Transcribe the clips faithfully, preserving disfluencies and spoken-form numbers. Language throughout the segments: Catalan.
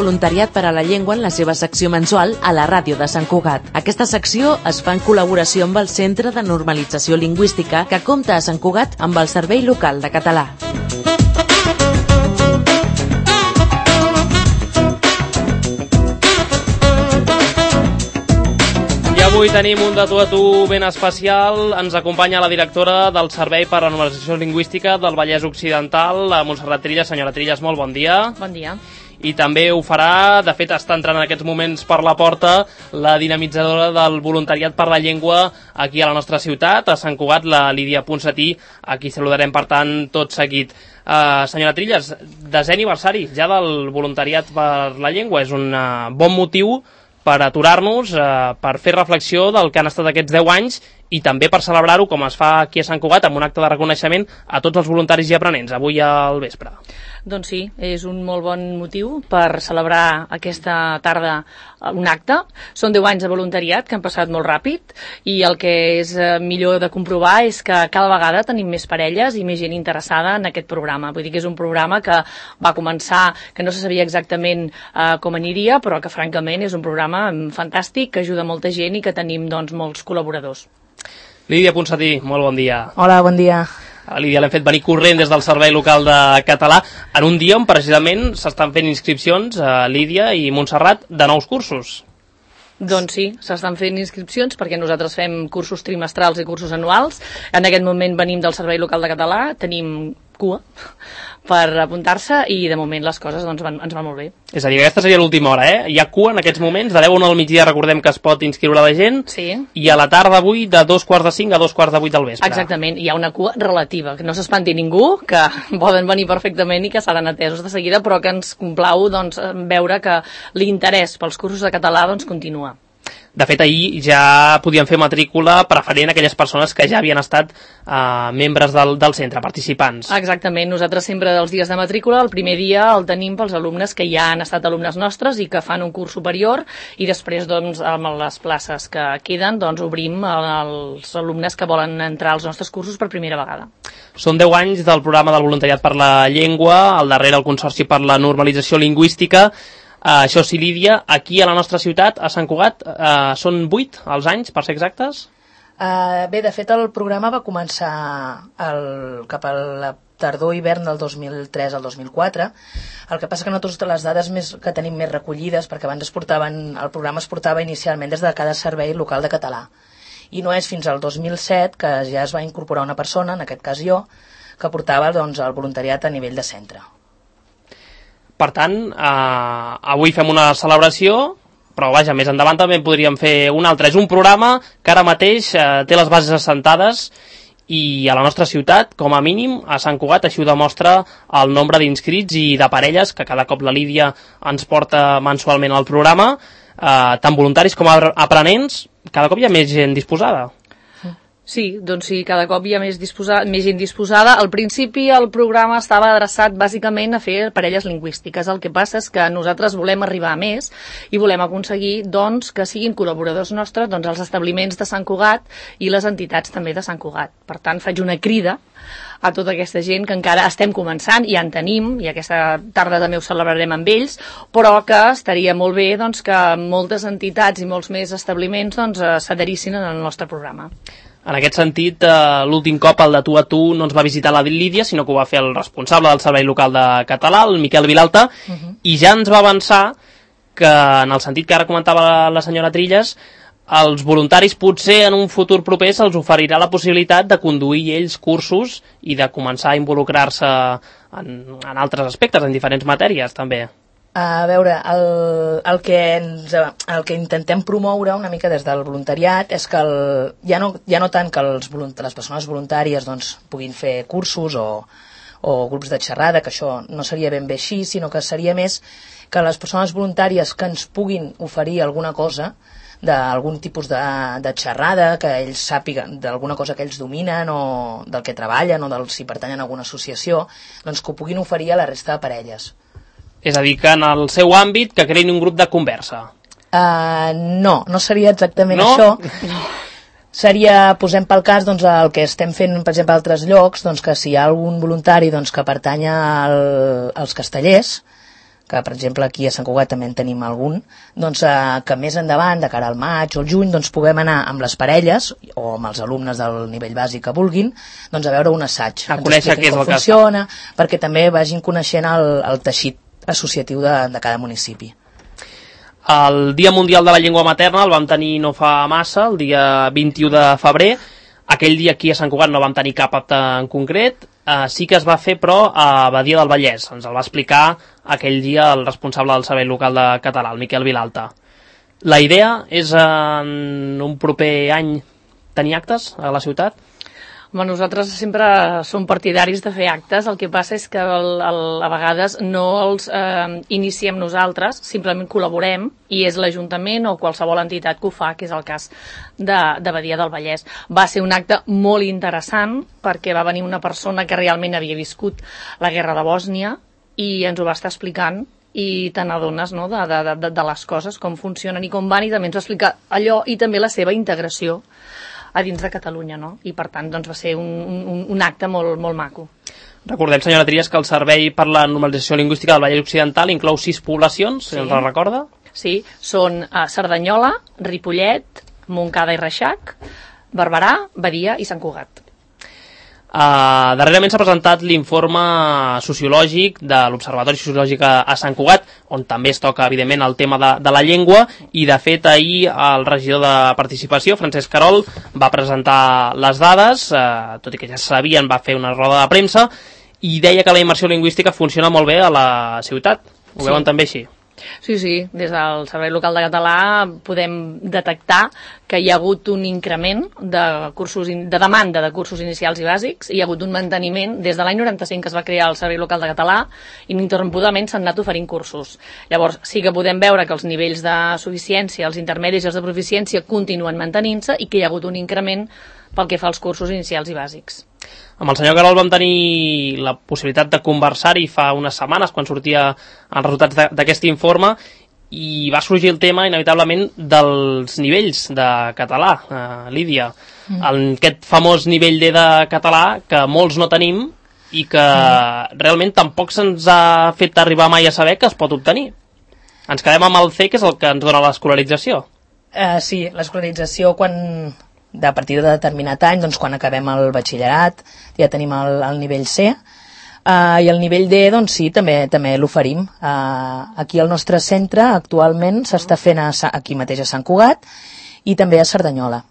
voluntariat per a la llengua en la seva secció mensual a la ràdio de Sant Cugat. Aquesta secció es fa en col·laboració amb el Centre de Normalització Lingüística, que compta a Sant Cugat amb el Servei Local de Català. Avui tenim un de tu a tu ben especial. Ens acompanya la directora del Servei per a la Normalització Lingüística del Vallès Occidental, la Montserrat Trilles. Senyora Trilles, molt bon dia. Bon dia. I també ho farà, de fet està entrant en aquests moments per la porta, la dinamitzadora del voluntariat per la llengua aquí a la nostra ciutat, a Sant Cugat, la Lídia Ponsatí, a qui saludarem per tant tot seguit. Uh, senyora Trilles, desè aniversari ja del voluntariat per la llengua. És un uh, bon motiu per aturar-nos, eh, per fer reflexió del que han estat aquests deu anys i també per celebrar-ho, com es fa aquí a Sant Cugat, amb un acte de reconeixement a tots els voluntaris i aprenents, avui al vespre. Doncs sí, és un molt bon motiu per celebrar aquesta tarda un acte. Són deu anys de voluntariat que han passat molt ràpid i el que és millor de comprovar és que cada vegada tenim més parelles i més gent interessada en aquest programa. Vull dir que és un programa que va començar, que no se sabia exactament eh, com aniria, però que francament és un programa fantàstic, que ajuda molta gent i que tenim doncs, molts col·laboradors. Lídia Ponsatí, molt bon dia. Hola, bon dia. A Lídia l'hem fet venir corrent des del Servei Local de Català en un dia on precisament s'estan fent inscripcions a Lídia i Montserrat de nous cursos. Doncs sí, s'estan fent inscripcions perquè nosaltres fem cursos trimestrals i cursos anuals. En aquest moment venim del Servei Local de Català, tenim cua per apuntar-se i de moment les coses doncs, van, ens van molt bé. És a dir, aquesta seria l'última hora, eh? Hi ha cua en aquests moments, de deu a una del migdia recordem que es pot inscriure la gent, sí. I a la tarda avui de dos quarts de cinc a dos quarts de vuit del vespre. Exactament, hi ha una cua relativa, que no s'espanti ningú, que poden venir perfectament i que seran atesos de seguida, però que ens complau doncs, veure que l'interès pels cursos de català doncs, continua. De fet, ahir ja podien fer matrícula preferent aquelles persones que ja havien estat eh, membres del, del centre, participants. Exactament, nosaltres sempre dels dies de matrícula, el primer dia el tenim pels alumnes que ja han estat alumnes nostres i que fan un curs superior i després, doncs, amb les places que queden, doncs, obrim als alumnes que volen entrar als nostres cursos per primera vegada. Són deu anys del programa del voluntariat per la llengua, al darrere el Consorci per la Normalització Lingüística. Uh, això sí, Lídia, aquí a la nostra ciutat, a Sant Cugat, uh, són vuit els anys, per ser exactes? Uh, bé, de fet, el programa va començar el, cap a la tardor-hivern del dos mil tres al dos mil quatre. El que passa que nosaltres les dades més, que tenim més recollides, perquè abans es portaven, el programa es portava inicialment des de cada servei local de català. I no és fins al dos mil set que ja es va incorporar una persona, en aquest cas jo, que portava doncs, el voluntariat a nivell de centre. Per tant, eh, avui fem una celebració, però vaja, més endavant també podríem fer un altre. És un programa que ara mateix eh, té les bases assentades i a la nostra ciutat, com a mínim, a Sant Cugat, així ho demostra el nombre d'inscrits i de parelles que cada cop la Lídia ens porta mensualment al programa, eh, tant voluntaris com aprenents, cada cop hi ha més gent disposada. Sí, doncs sí, cada cop hi ha més, disposada, més gent disposada. Al principi el programa estava adreçat bàsicament a fer parelles lingüístiques. El que passa és que nosaltres volem arribar a més i volem aconseguir doncs, que siguin col·laboradors nostres doncs, els establiments de Sant Cugat i les entitats també de Sant Cugat. Per tant, faig una crida a tota aquesta gent que encara estem començant, ja en tenim, i aquesta tarda també ho celebrarem amb ells, però que estaria molt bé doncs, que moltes entitats i molts més establiments doncs, s'adherissin al nostre programa. En aquest sentit, eh, l'últim cop el de tu a tu no ens va visitar la Lídia, sinó que ho va fer el responsable del Servei Local de Català, el Miquel Vilalta, uh-huh. I ja ens va avançar que, en el sentit que ara comentava la, la senyora Trilles, els voluntaris potser en un futur proper se'ls oferirà la possibilitat de conduir ells cursos i de començar a involucrar-se en, en altres aspectes, en diferents matèries també. A veure, el, el, que ens, el que intentem promoure una mica des del voluntariat és que el, ja, no, ja no tant que els, les persones voluntàries doncs, puguin fer cursos o, o grups de xerrada, que això no seria ben bé així, sinó que seria més que les persones voluntàries que ens puguin oferir alguna cosa, d'algun tipus de, de xerrada, que ells sàpiguen d'alguna cosa que ells dominen o del que treballen o del, si pertanyen a alguna associació, doncs que ho puguin oferir a la resta de parelles. És a dir, que en el seu àmbit que creïn un grup de conversa. Uh, no, no seria exactament no? això. No. Seria, posem pel cas, doncs, el que estem fent, per exemple, a altres llocs, doncs, que si hi ha algun voluntari doncs, que pertanya al, als castellers, que per exemple aquí a Sant Cugat també en tenim algun, doncs eh, que més endavant, de cara al maig o al juny, doncs puguem anar amb les parelles o amb els alumnes del nivell bàsic que vulguin, doncs a veure un assaig. A conèixer què és el que funciona, perquè també vagin coneixent el, el teixit associatiu de, de cada municipi. El Dia Mundial de la Llengua Materna el vam tenir no fa massa, el dia vint-i-u de febrer. Aquell dia aquí a Sant Cugat no vam tenir cap acte en concret. Uh, sí que es va fer, però, a Badia del Vallès. Ens el va explicar aquell dia el responsable del Servei Local de Català, el Miquel Vilalta. La idea és en un proper any tenir actes a la ciutat? Home, nosaltres sempre som partidaris de fer actes, el que passa és que el, el, a vegades no els eh, iniciem nosaltres, simplement col·laborem i és l'Ajuntament o qualsevol entitat que ho fa, que és el cas de, de Badia del Vallès. Va ser un acte molt interessant perquè va venir una persona que realment havia viscut la guerra de Bòsnia i ens ho va estar explicant i te n'adones, no?, de, de, de, de les coses, com funcionen i com van, i també ens va explicar allò i també la seva integració a dins de Catalunya, no? I per tant doncs, va ser un, un, un acte molt, molt maco. Recordem, senyora Trias, que el Servei per la Normalització Lingüística del Vallès Occidental inclou sis poblacions, si sí. ens la recorda? Sí, són uh, Cerdanyola, Ripollet, Montcada i Reixac, Barberà, Badia i Sant Cugat. Uh, darrerament s'ha presentat l'informe sociològic de l'Observatori Sociològic a, a Sant Cugat, on també es toca, evidentment, el tema de, de la llengua, i, de fet, ahir el regidor de Participació, Francesc Carol, va presentar les dades, uh, tot i que ja sabien, va fer una roda de premsa, i deia que la immersió lingüística funciona molt bé a la ciutat. Ho sí. veuen també així? Sí, sí, des del Servei Local de Català podem detectar que hi ha hagut un increment de cursos in, de demanda de cursos inicials i bàsics, i hi ha hagut un manteniment des de l'any noranta-cinc que es va crear el Servei Local de Català, ininterrompudament s'han anat oferint cursos. Llavors sí que podem veure que els nivells de suficiència, els intermedis i els de proficiència continuen mantenint-se i que hi ha hagut un increment pel que fa als cursos inicials i bàsics. Amb el senyor Carol vam tenir la possibilitat de conversar-hi fa unes setmanes quan sortia els resultats d'aquest informe, i va sorgir el tema inevitablement dels nivells de català, eh, Lídia. Mm. El, aquest famós nivell D de català que molts no tenim i que mm. realment tampoc se'ns ha fet arribar mai a saber que es pot obtenir. Ens quedem amb el C, que és el que ens dona l'escolarització. Uh, sí, l'escolarització quan... de a partir de determinat any, doncs quan acabem el batxillerat ja tenim el, el nivell C, uh, i el nivell D doncs sí, també també l'oferim. Uh, aquí al nostre centre actualment s'està fent a, aquí mateix a Sant Cugat i també a Cerdanyola.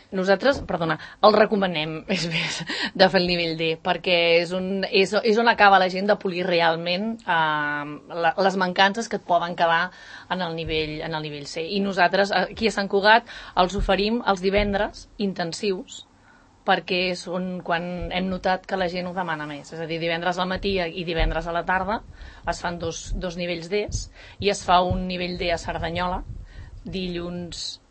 Nosaltres, perdona, el recomanem és més de fer el nivell D, perquè és, un, és, és on acaba la gent de polir realment eh, la, les mancances que et poden quedar en el, nivell, en el nivell C. I nosaltres aquí a Sant Cugat els oferim els divendres intensius, perquè és on, quan hem notat que la gent ho demana més. És a dir, divendres al matí i divendres a la tarda es fan dos, dos nivells Ds, i es fa un nivell D a Cerdanyola, dilluns...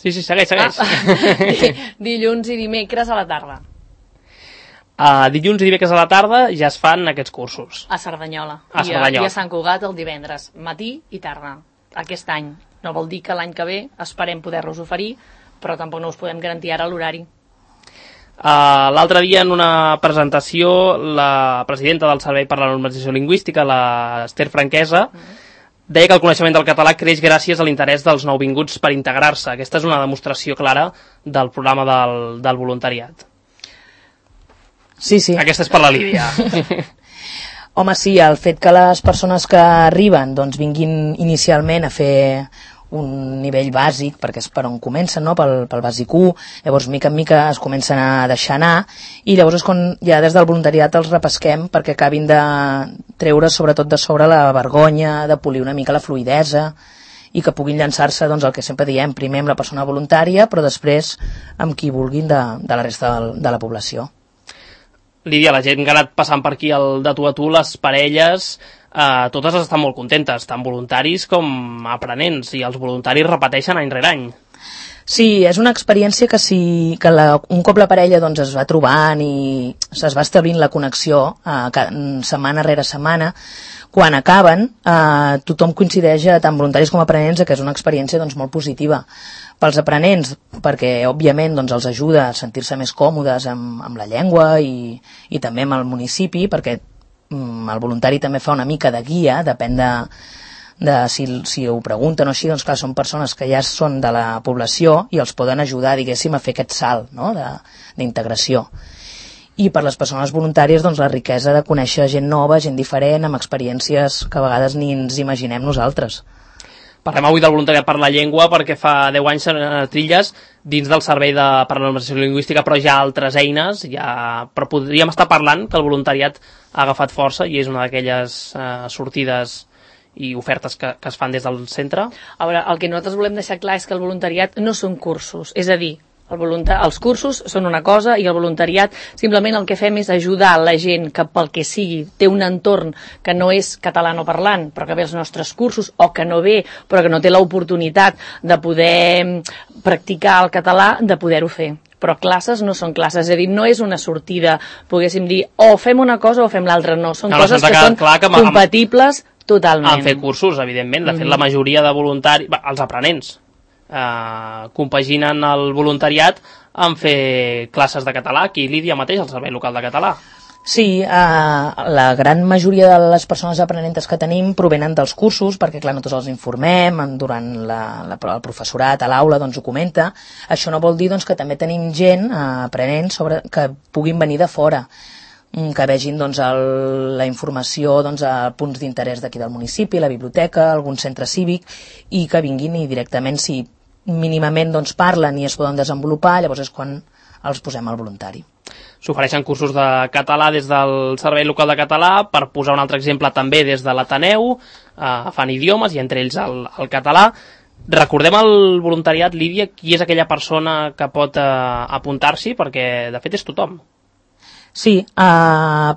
Sí, sí, segueix, segueix. Ah, dilluns i dimecres a la tarda. Uh, dilluns i dimecres a la tarda ja es fan aquests cursos. A Cerdanyola. A Cerdanyola. I a, i a Sant Cugat el divendres, matí i tarda. Aquest any. No vol dir que l'any que ve esperem poder-los oferir, però tampoc no us podem garantir ara l'horari. Uh, L'altre dia, en una presentació, la presidenta del Servei per la Normalització Lingüística, la Esther Franquesa, mm. deia que el coneixement del català creix gràcies a l'interès dels nouvinguts per integrar-se. Aquesta és una demostració clara del programa del, del voluntariat. Sí, sí. Aquesta és per la Lídia. Home, sí, el fet que les persones que arriben doncs, vinguin inicialment a fer un nivell bàsic, perquè és per on comencen, no? pel, pel bàsic u, llavors mica en mica es comencen a deixar anar, i llavors és quan ja des del voluntariat els repesquem perquè acabin de treure sobretot de sobre la vergonya, de polir una mica la fluïdesa, i que puguin llançar-se doncs, el que sempre diem, primer amb la persona voluntària, però després amb qui vulguin de, de la resta de, de la població. Lídia, la gent que ha anat passant per aquí el de tu a tu, les parelles, eh, totes estan molt contentes, tant voluntaris com aprenents, i els voluntaris repeteixen any rere any. Sí, és una experiència que, si, que la, un cop la parella doncs, es va trobant i es va establint la connexió eh, setmana rere setmana, quan acaben eh, tothom coincideix, tant voluntaris com aprenents, que és una experiència doncs, molt positiva. Pels aprenents, perquè òbviament doncs, els ajuda a sentir-se més còmodes amb, amb la llengua i, i també amb el municipi, perquè el voluntari també fa una mica de guia, depèn de, de si, si ho pregunten o així, doncs clar, són persones que ja són de la població i els poden ajudar, diguéssim, a fer aquest salt, no?, d'integració. I per les persones voluntàries, doncs, la riquesa de conèixer gent nova, gent diferent, amb experiències que a vegades ni ens imaginem nosaltres. Parlem avui del voluntariat per la llengua perquè fa deu anys a Trilles, dins del Servei de, per la Normalització Lingüística, però hi ha altres eines, ja, però podríem estar parlant que el voluntariat ha agafat força i és una d'aquelles eh, sortides i ofertes que, que es fan des del centre. A veure, el que nosaltres volem deixar clar és que el voluntariat no són cursos, és a dir, El voluntar... els cursos són una cosa i el voluntariat simplement el que fem és ajudar la gent que pel que sigui té un entorn que no és catalanoparlant però que ve als nostres cursos o que no ve però que no té l'oportunitat de poder practicar el català, de poder-ho fer. Però classes no són classes, és a dir, no és una sortida, poguéssim dir, o fem una cosa o fem l'altra, no, són no, coses que, que són clar que compatibles totalment. Han fet cursos, evidentment, de fet mm-hmm. la majoria de voluntaris, els aprenents, Uh, compaginen el voluntariat en fer classes de català aquí Lídia mateix al Servei Local de Català. Sí, uh, la gran majoria de les persones aprenentes que tenim provenen dels cursos, perquè clar, nosaltres els informem durant la, la, el professorat a l'aula, doncs ho comenta. Això no vol dir doncs, que també tenim gent uh, aprenents sobre, que puguin venir de fora, que vegin doncs, el, la informació doncs, a punts d'interès d'aquí del municipi, la biblioteca, algun centre cívic, i que vinguin i directament, si mínimament doncs, parlen i es poden desenvolupar, llavors és quan els posem al voluntari. S'ofereixen cursos de català des del Servei Local de Català, per posar un altre exemple també des de l'Ateneu, eh, fan idiomes i entre ells el, el català. Recordem el voluntariat, Lídia, qui és aquella persona que pot eh, apuntar-s'hi, perquè de fet és tothom. Sí, uh,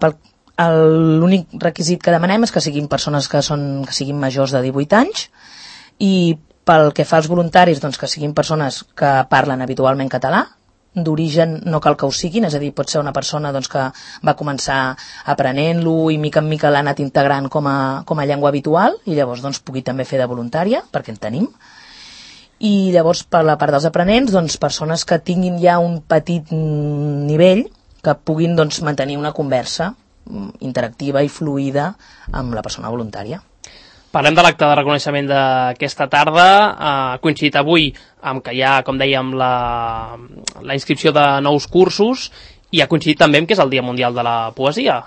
l'únic requisit que demanem és que siguin persones que, són, que siguin majors de divuit anys i pel que fa als voluntaris, doncs, que siguin persones que parlen habitualment català, d'origen no cal que ho siguin, és a dir, pot ser una persona doncs, que va començar aprenent-lo i mica en mica l'ha anat integrant com a, com a llengua habitual i llavors doncs, pugui també fer de voluntària, perquè en tenim. I llavors per la part dels aprenents, doncs, persones que tinguin ja un petit nivell que puguin doncs, mantenir una conversa interactiva i fluida amb la persona voluntària. Parlem de l'acte de reconeixement d'aquesta tarda. Ha coincidit avui amb que hi ha, com dèiem, la, la inscripció de nous cursos i ha coincidit també amb que és el Dia Mundial de la Poesia.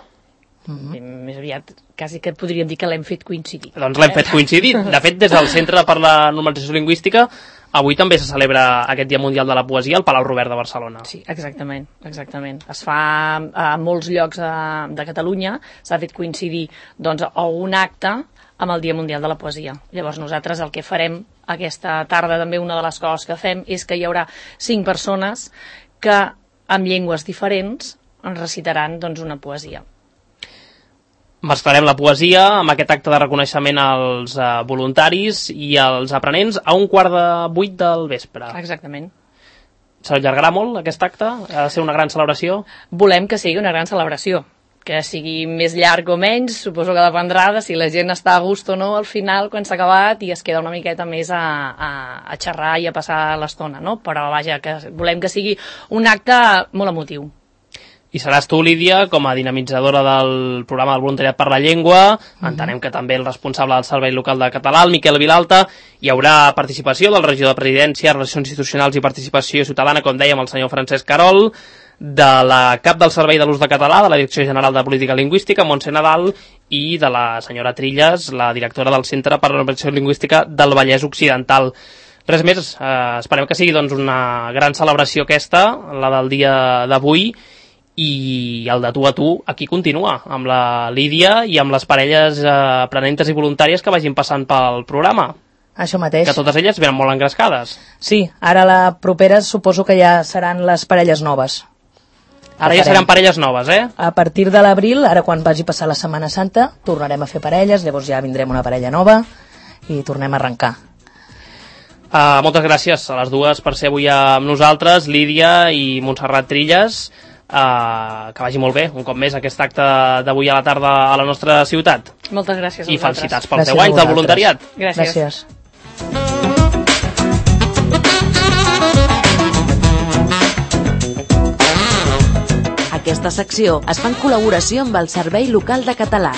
Mm-hmm. Més aviat, quasi que podríem dir que l'hem fet coincidir. Doncs l'hem fet coincidir. De fet, des del Centre per la Normalització Lingüística, avui també se celebra aquest Dia Mundial de la Poesia al Palau Robert de Barcelona. Sí, exactament, exactament. Es fa a molts llocs de, de Catalunya, s'ha fet coincidir doncs, a un acte amb el Dia Mundial de la Poesia. Llavors nosaltres el que farem aquesta tarda, també una de les coses que fem, és que hi haurà cinc persones que amb llengües diferents ens recitaran doncs, una poesia. Mesclarem la poesia amb aquest acte de reconeixement als uh, voluntaris i als aprenents a un quart de vuit del vespre. Exactament. S'allargarà molt aquest acte? Ha de ser una gran celebració? Volem que sigui una gran celebració. Que sigui més llarg o menys, suposo que dependrà de si la gent està a gust o no al final quan s'ha acabat i es queda una miqueta més a, a, a xerrar i a passar l'estona, no? Però vaja, que volem que sigui un acte molt emotiu. I seràs tu, Lídia, com a dinamitzadora del programa del voluntariat per la llengua. Mm-hmm. Entenem que també el responsable del Servei Local de Català, el Miquel Vilalta. Hi haurà participació del regidor de Presidència, Relacions Institucionals i Participació Ciutadana, com dèiem, el senyor Francesc Carol, de la cap del Servei de l'Ús de Català, de la Direcció General de Política Lingüística, Montse Nadal, i de la senyora Trilles, la directora del Centre per la Normalització Lingüística del Vallès Occidental. Res més, eh, esperem que sigui doncs, una gran celebració aquesta, la del dia d'avui, i el de tu a tu aquí continua, amb la Lídia i amb les parelles eh, aprenentes i voluntàries que vagin passant pel programa. Això mateix. Que totes elles venen molt engrescades. Sí, ara la propera suposo que ja seran les parelles noves. Ara ja seran parelles noves, eh? A partir de l'abril, ara quan vagi passar la Setmana Santa, tornarem a fer parelles, llavors ja vindrem una parella nova i tornem a arrencar. Uh, moltes gràcies a les dues per ser avui amb nosaltres, Lídia i Montserrat Trilles. Uh, que vagi molt bé, un cop més, aquest acte d'avui a la tarda a la nostra ciutat. Moltes gràcies a I vosaltres. felicitats pels deu anys del voluntariat. Gràcies. Gràcies. Aquesta secció es fa en col·laboració amb el Servei Local de Català.